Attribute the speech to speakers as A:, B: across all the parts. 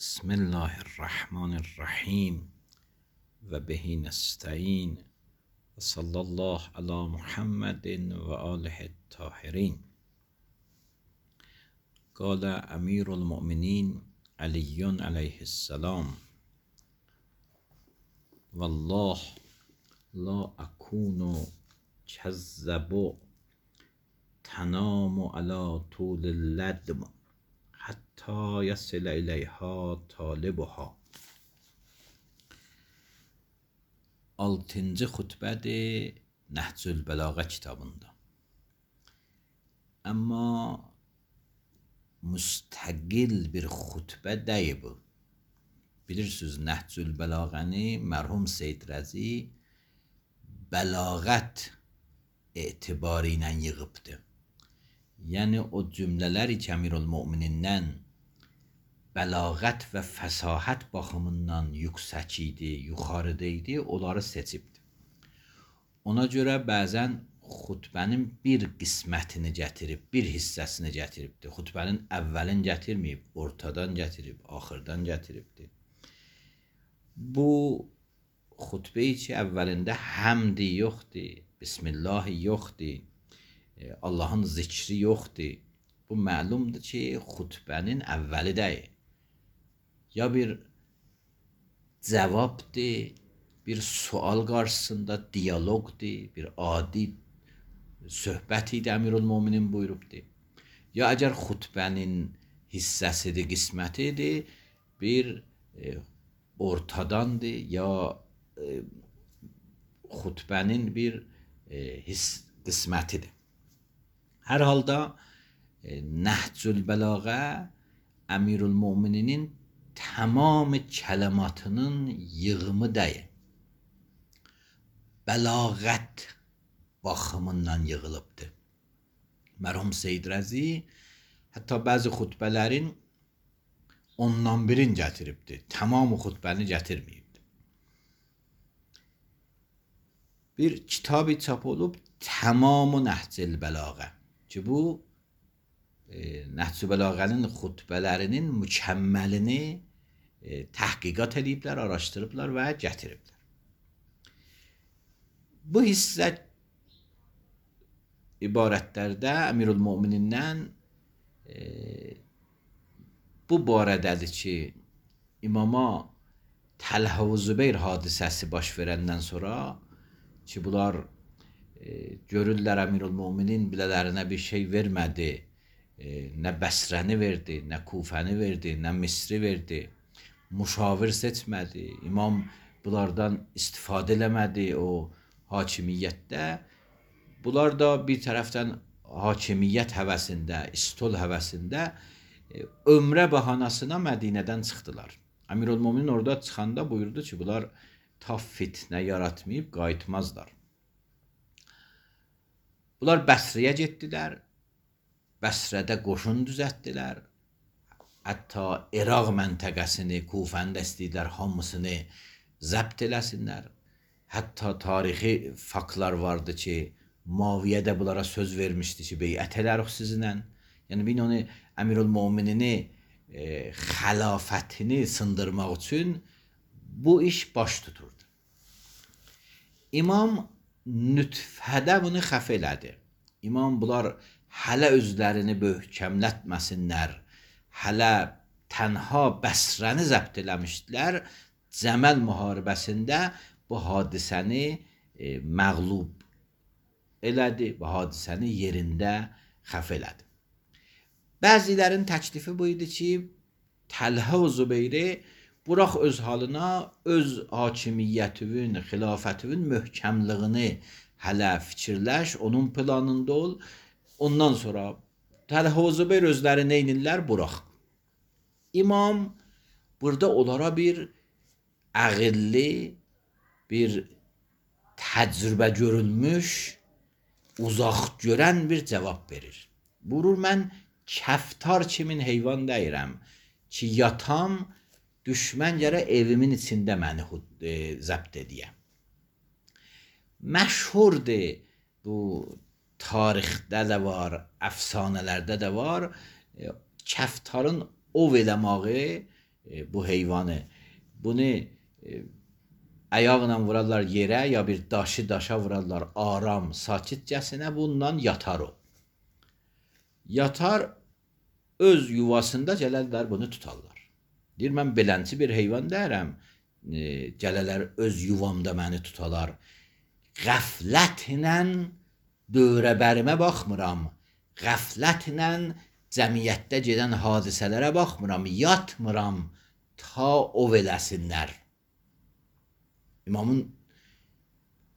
A: بسم الله الرحمن الرحیم و به نستعین و صلی الله علی محمد و آله الطاهرین. قال امیر المؤمنین علی علیه السلام: والله لا اکون کذب تنام علی طول اللدم حتی یصل الیها طالبها. 6-cı xutbədir Nəhcül Bəlağə kitabında. Amma müstəqil bir xutbə deyil bu. Bilirsiniz, Nəhcül Bəlağəni mərhum Seyyid Rəzi bəlağət etibarı ilə yığıbdır. Yəni o cümlələri ki, Əmirülmöminindən bəlağət və fəsahət baxımından yüksək idi, yuxarıda idi, onları seçibdir. Ona görə bəzən xutbənin bir qismətini gətirib, bir hissəsini gətiribdir. Xutbənin əvvəlini gətirməyib, ortadan gətirib, axırdan gətiribdir. Bu xutbəyi ki, əvvəlində həmdi yoxdur, Bismillahi yoxdur, Allahın zikri yoxdur. Bu məlumdur ki, xutbənin əvvəli deyil. Ya bir cavabdır, bir sual qarşısında diyaloqdur, bir adi söhbət idi, Əmirülmöminin buyurubdur. Ya əgər xutbənin hissəsidir, qismətidir, bir ortadandır, ya xutbənin bir qismətidir. Hər halda Nəhcül Bəlağə Əmirülmömininin tamam kələmatının yığımı deyil. Bəlağət baxımından yığılıbdır. Mərhum Seyyid Rəzi hətta bəzi xutbələrin ondan birini gətiribdir. Tamamı xutbəni gətirməyibdir. Bir kitabı çap olub, Tamam-ı Nəhcül Bəlağə ki, bu Nəhcül Bəlağənin xutbələrinin mükəmməlini təhqiqat ediblər, araşdırıblar və gətiriblər. Bu hissə ibarətlərdə Əmirülmöminindən bu barədədir ki, imama Təlhə və Zübeyr hadisəsi baş verəndən sonra ki, bunlar görürlər Əmirülmöminin bilələrinə bir şey vermədi, nə Bəsrəni verdi, nə Kufəni verdi, nə Misri verdi, müşavir seçmədi, imam bunlardan istifadə eləmədi o hakimiyyətdə. Bunlar da bir tərəfdən hakimiyyət həvəsində, istol həvəsində ömrə bəhanasına Mədinədən çıxdılar. Əmirülmöminin orada çıxanda buyurdu ki, bunlar ta fitnə yaratmayıb qayıtmazlar. Bunlar Bəsriyə getdilər, Bəsrədə qoşun düzəltdilər. Hətta İraq məntəqəsini, Kufəni də istəyirlər, hamısını zəbt eləsinlər. Hətta tarixi faktlar vardı ki, Muaviyyə də bunlara söz vermişdi ki, beyət elərik sizinlə. Yəni, bir onu Əmirülmöminini, xəlafətini sındırmaq üçün bu iş baş tuturdu. İmam nütfədə bunu xəf elədi. İmam bunlar hələ özlərini möhkəmlətməsinlər, hələ tənha Bəsrəni zəbt eləmişdilər, Cəməl müharibəsində bu hadisəni məğlub elədi, bu hadisəni yerində xəf elədi. Bəzilərin təklifi bu idi ki, Təlhə və Zübeyri burax öz halına, öz hakimiyyətinin, xilafətinin möhkəmliyini hələ fikirləş, onun planında ol. Ondan sonra Təlhə və Zübeyr özləri neynirlər? Burax. İmam burada onlara bir əqilli, bir təcrübə görülmüş, uzaq görən bir cavab verir. Buyurur, mən kəftar kimin heyvan deyirəm ki, yatam, düşmən gərək evimin içində məni zəbt edəyəm. Məşhurdur, bu tarixdə də var, əfsanələrdə də var, kəftarın ov eləməyi bu heyvanı. Bunu ayaqla vurarlar yerə ya bir daşa vurarlar aram, sakitcəsinə bundan yatar o. Yatar öz yuvasında gələrlər bunu tutarlar. Deyir mən belənçi bir heyvan deyirəm. Gələrlər öz yuvamda məni tutalar. Qəflətlə dövrəbərimə baxmıram. Qəflətlə cəmiyyətdə gedən hadisələrə baxmıram. Yatmıram ta ov eləsinlər. İmamın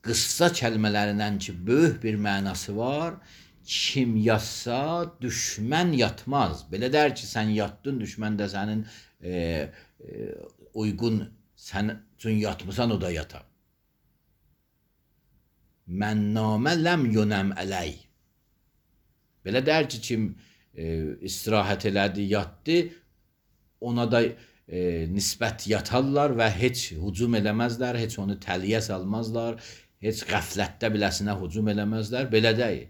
A: qıssa kəlmələrindən ki, böyük bir mənası var. Kim yatsa düşmən yatmaz. Belə der ki, sən yatdın, düşmən də sənin uyğun, sən üçün yatmısan, o da yatar. Mən namə ləm yönəm ələy. Belə der ki, kim istirahət elədi, yatdı, ona da nisbət yatarlar və heç hücum eləməzlər, heç onu təliyə salmazlar, heç qəflətdə biləsinə hücum eləməzlər. Belə deyil.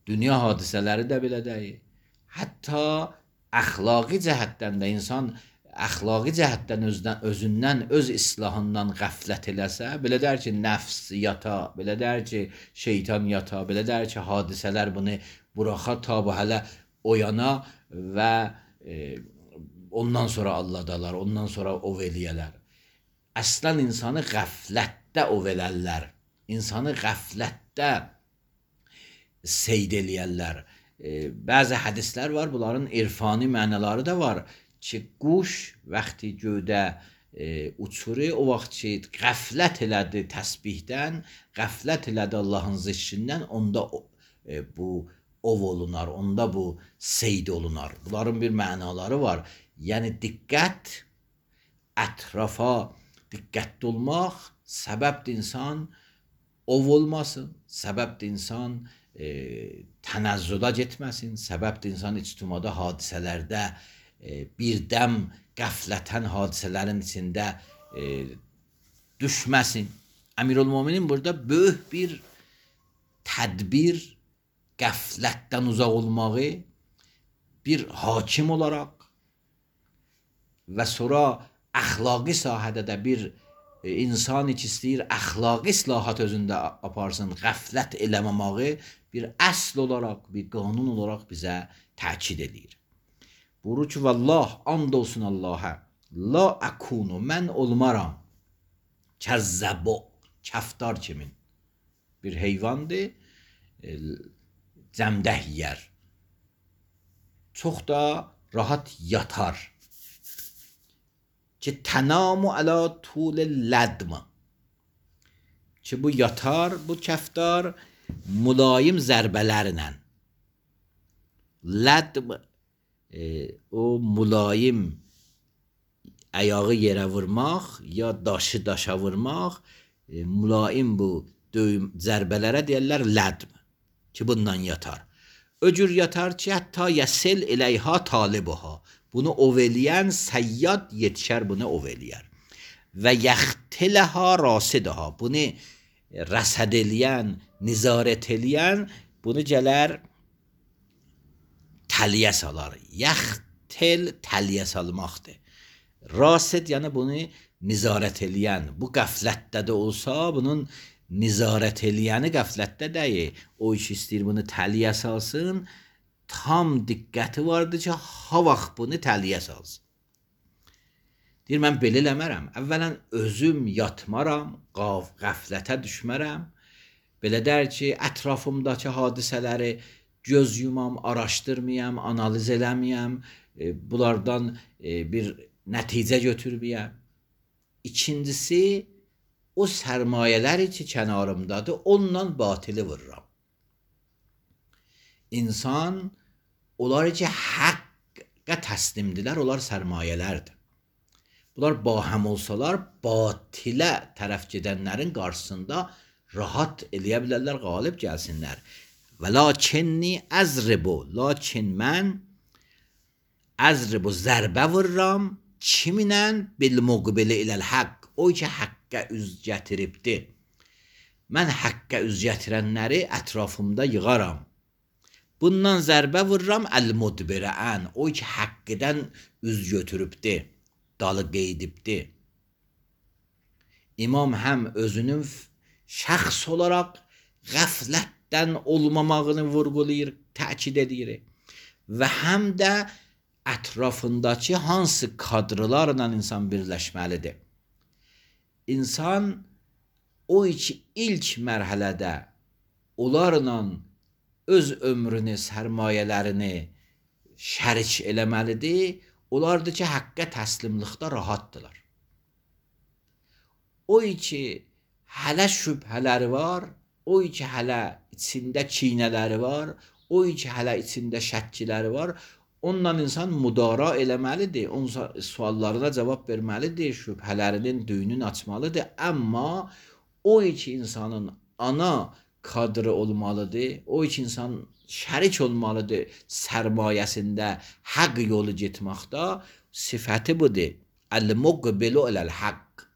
A: Dünya hadisələri də belə deyil. Hətta əxlaqi cəhətdən də insan əxlaqi cəhətdən özündən, öz islahından qəflət eləsə, belə der ki, nəfs yata, belə der ki, şeytan yata, belə der ki, hadisələr bunu buraxa ta bu hələ oyana və ondan sonra alladalar, ondan sonra ov eləyələr. Əslən insanı qəflətdə ov elərlər. İnsanı qəflətdə seyd eləyərlər. Bəzi hədislər var, bunların irfani mənaları da var ki, quş vaxtı göydə uçuru, o vaxt ki, qəflət elədi təsbihdən, qəflət elədi Allahın zikrindən, onda bu ov olunar, onda bu seyd olunar. Bunların bir mənaları var. Yəni diqqət, ətrafa diqqətli olmaq səbəbdir insan ov olmasın, səbəbdir insan tənəzzülə getməsin, səbəbdir insan ictimada hadisələrdə birdəm qəflətən hadisələrin içində düşməsin. Əmirülmüminin burada böyük bir tədbir, qəflətdən uzaq olmağı bir hakim olaraq və sonra əxlaqi sahədə də bir insan ki istəyir əxlaqi islahat özündə aparsın, qəflət eləməməyi bir əsl olaraq, bir qanun olaraq bizə təkid edir. Buyurur ki, vallah, and olsun Allaha, la əkunu, mən olmaram, kəzzəbo, kəftar kimin. Bir heyvandır, cəmdəh yiyər. Çox da rahat yatar. Ki tənamu əla tul lədm. Ki bu yatar, bu kəftar mülayim zərbələrlə. Lədm o mülayim ayağı yerə vurmaq ya daşa vurmaq, mülayim bu zərbələrə deyirlər lədm. Ki bundan yatar. Öcür yatar ki, hətta yəsil eləyha talibuha. Bunu ov eləyən səyyad yetişər, bunu ov eləyər. Və yəxtiləhə rasidiha. Bunu rəsəd eləyən, nizarət eləyən, bunu gələr təliyə salar. Yəxtil təliyə salmaqdır. Rasid yəni bunu nizarət eləyən. Bu qəflətdə də olsa, bunun nizarət eləyəni qəflətdə deyil. O iş istəyir bunu təliyə salsın, tam diqqəti vardır ki, ha vaxt bunu təliyə salsın. Deyir, mən belə eləmərəm. Əvvələn özüm yatmaram, qəflətə düşmərəm. Belə der ki, ətrafımdakı hadisələri göz yumam, araşdırmayam, analiz eləməyəm, bunlardan bir nəticə götürməyəm. İkincisi, o sərmayələr ki kənarımdadır, onunla batili vururam. İnsan, onlar ki həqqə təslimdirlər, onlar sərmayələrdir. Bunlar bahəm olsalar, batilə tərəf gedənlərin qarşısında rahat eləyə bilərlər, qalib gəlsinlər. Və lakinni əzribu, lakin mən əzribu zərbə vururam, kiminən bil-muqbili iləl haqq, o ki həqqə üz gətiribdir. Mən həqqə üz gətirənləri ətrafımda yığaram. Bundan zərbə vururam əl-mudbirən, o ki haqqıdan üz götürübdü, dalı qeydibdi. İmam həm özünün şəxs olaraq qəflətdən olmamağını vurğulayır, təkid edir və həm də ətrafındakı hansı kadrlarla insan birləşməlidir. İnsan o ki ilk mərhələdə onlarla öz ömrünü, sərmayələrini şərik eləməlidir. Onlardır ki, həqqə təslimlikdə rahatdırlar. O ki hələ şübhələri var, o ki hələ içində kinələri var, o ki hələ içində şəkkiləri var, onunla insan müdara eləməlidir, onun suallarına cavab verməlidir, şübhələrinin düyününü açmalıdır. Amma o ki insanın ana kadrı olmalıdır, o ki insan şərik olmalıdır sərmayəsində haqq yolu getməkdə, sifəti budur. Əl-muqbilu aləl-haqq.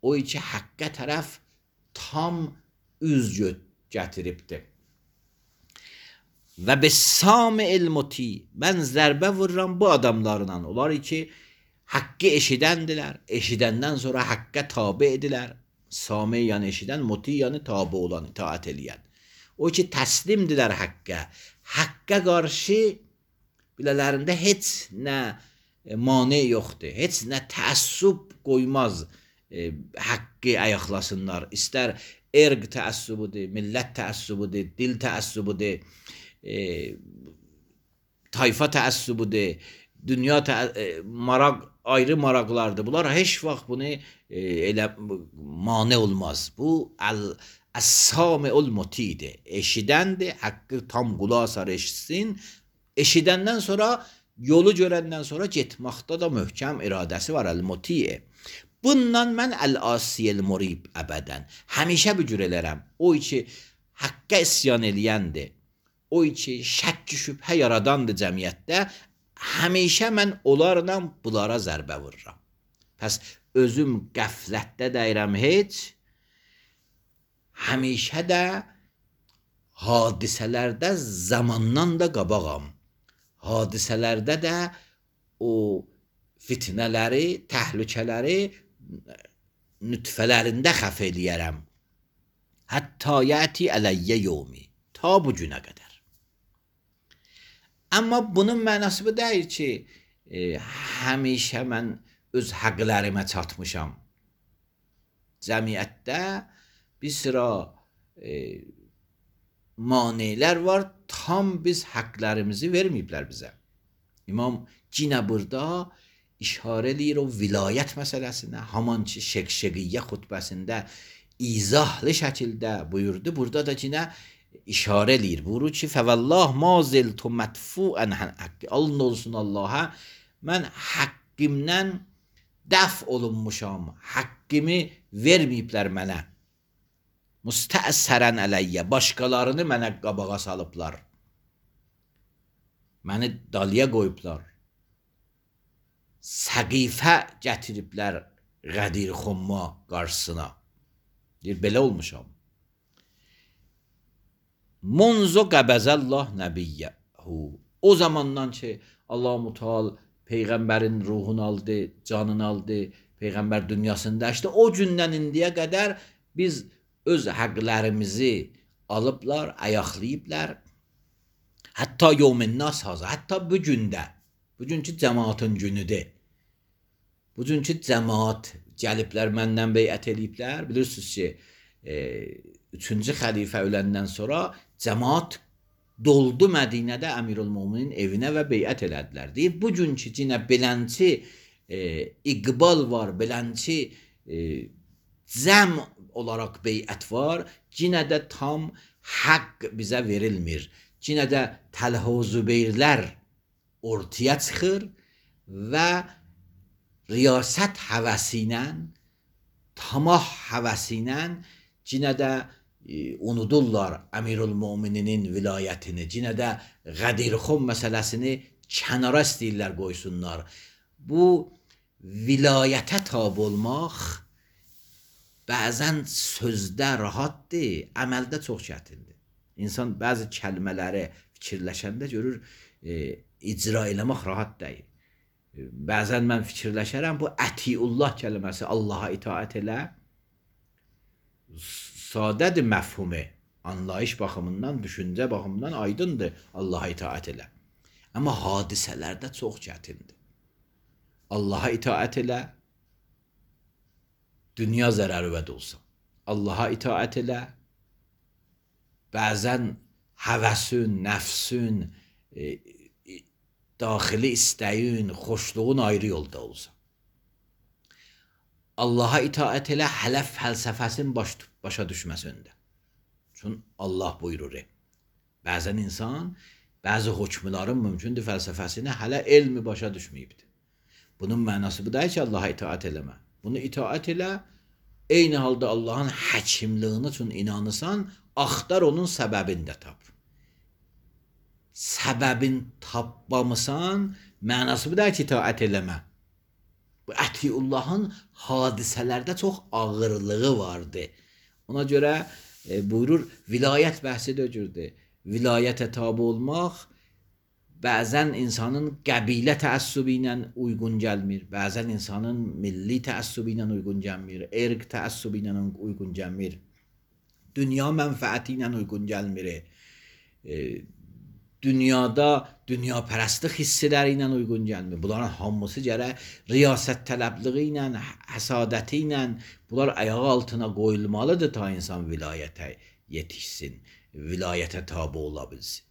A: O ki haqqa tərəf tam üz gətiribdir. Və bis-sami'il muti, mən zərbə vururam bu adamlarla. Onlar ki haqqı eşidəndilər, eşidəndən sonra haqqa tabe edilər. Sami yəni eşidən, muti yəni tabe olan, itaat eləyən. O ki təslimdilər haqqa. Haqqa qarşı bilələrində heç nə mane yoxdur, heç nə təəssüb qoymaz haqqı ayaqlasınlar. İstər erq təəssübudur, millət təəssübudur, dil təəssübudur, tayfa təəssübudur, dünya maraq, ayrı maraqlardır. Bunlar heç vaxt bunu elə mane olmaz. Bu əs-sami'ul mutidir. Eşidəndir, haqqı tam qulaq asar eşitsin. Eşidəndən sonra, yolu görəndən sonra getməkdə də möhkəm iradəsi var, əl-muti'e. Bundan mən əl-asiyel murib əbədən. Həmişə bu cür elərəm. O ki haqqa isyan eləyəndir, o ki şəkk şübhə yaradandır cəmiyyətdə, həmişə mən onlarla bunlara zərbə vururam. Pəs özüm qəflətdə dəyirəm heç, həmişə də hadisələrdə zamandan da qabağam. Hadisələrdə də o fitnələri, təhlükələri nütfələrində xəf eləyərəm. Hətta yəti ələyyə yevmi. Ta bu günə qədər. Amma bunun mənası bu deyil ki, həmişə mən öz həqlərimə çatmışam. Cəmiyyətdə bir sıra manelər var, tam biz həqlərimizi verməyiblər bizə. İmam yenə burada işarə eləyir o vilayət məsələsinə, haman ki Şəqşəqiyyə xutbəsində izahlı şəkildə buyurdu. Burada da yenə işarə eləyir. Buyurur ki, fəvəllah maziltu mədfuən haqqi. Alın olsun Allaha, mən haqqimdən dəf olunmuşam. Haqqimi verməyiblər mənə. Müstəəssərən ələyyə. Başqalarını mənə qabağa salıblar. Məni dalıya qoyublar. Səqifə gətiriblər Qədir Xumma qarşısına. Deyir, belə olmuşam. Munzu qəbəzəllah nəbiyyəhu. O zamandan ki, Allah-u Teala Peyğəmbərin ruhunu aldı, canını aldı, Peyğəmbər dünyasında işte o gündən indiyə qədər biz öz həqlərimizi alıblar, ayaqlayıblar. Hətta yevmin-nas hazır, hətta bu gündə, bugünkü cəmaatın günüdür. Bugünkü cəmaat gəliblər, məndən beyət eləyiblər. Bilirsiniz ki, 3-cü xəlifə öləndən sonra cəmaat doldu Mədinədə Əmirül-Möminin evinə və beyət elədilər. Deyib, bugünkü yenə belənçi iqbal var, belənçi cəm olaraq beyət var, yenə də tam haqq bizə verilmir. Yenə də Təlhə Zübeyrlər ortaya çıxır və riyasət həvəsi ilə, tamah həvəsi ilə yenə də unudurlar Əmirül-Mömininin vilayətini, yenə də Qədirxum məsələsini kənara istəyirlər qoysunlar. Bu vilayətə tabi olmaq bəzən sözdə rahatdır, əməldə çox çətindir. İnsan bəzi kəlmələri fikirləşəndə görür icra eləmək rahat deyil. Bəzən mən fikirləşərəm bu ətiullah kəlməsi, Allaha itaət elə, sadədir məfhumu, anlayış baxımından, düşüncə baxımından aydındır Allaha itaət elə. Amma hadisələrdə çox çətindir. Allaha itaət elə, dünya zərərvə də olsa. Allaha itaət elə, bəzən həvəsün, nəfsün, daxili istəyin, xoşluğun ayrı yolda olsa. Allaha itaət elə, hələ fəlsəfəsin başa düşməsində. Çünki Allah buyurur. Bəzən insan, bəzi hökmlərin mümkündür fəlsəfəsini hələ elmi başa düşməyibdir. Bunun mənası bu deyil ki, Allaha itaət eləmə. Bunu itaət elə, eyni halda Allahın həkimliyini üçün inanırsan, axtar onun səbəbini də tap. Səbəbin tapmamısan, mənası bu deyil ki, itaət eləmə. Bu ətiullahın hadisələrdə çox ağırlığı vardı. Ona görə buyurur, vilayət bəhsi də öcürdür. Vilayətə tabi olmaq bəzən insanın qəbilə təəssübü ilə uyğun gəlmir, bəzən insanın milli təəssübü ilə uyğun gəlmir, irq təəssübü ilə uyğun gəlmir, dünya mənfəəti ilə uyğun gəlmir, dünyada dünyapərəstlik hissləri ilə uyğun gəlmir. Bunların hamısı gərək riyasət tələbliği ilə, həsadəti ilə bunlar ayağı altına qoyulmalıdır ta insan vilayətə yetişsin, vilayətə tabi ola bilsin.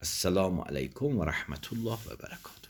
A: Esselamu aleykum və rəhmətullah və bərəkatuhu.